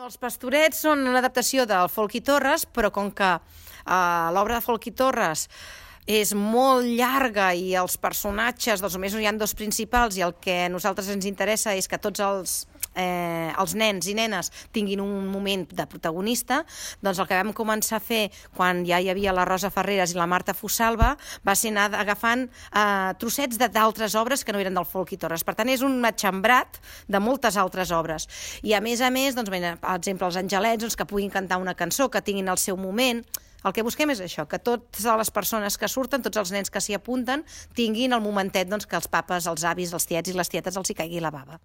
Els Pastorets són una adaptació del Folch i Torres, però com que l'obra de Folch i Torres és molt llarga i els personatges, doncs només hi ha dos principals i el que a nosaltres ens interessa és que tots els nens i nenes tinguin un moment de protagonista, doncs el que vam començar a fer quan ja hi havia la Rosa Ferreres i la Marta Fosalva va ser anar agafant trossets d'altres obres que no eren del Folch i Torres. Per tant, és un matxembrat de moltes altres obres. I a més, doncs, per exemple, els angelets doncs, que puguin cantar una cançó, que tinguin el seu moment. El que busquem és això, que totes les persones que surten, tots els nens que s'hi apunten, tinguin el momentet doncs, que els papes, els avis, els tiets i les tietes els hi caigui la bava.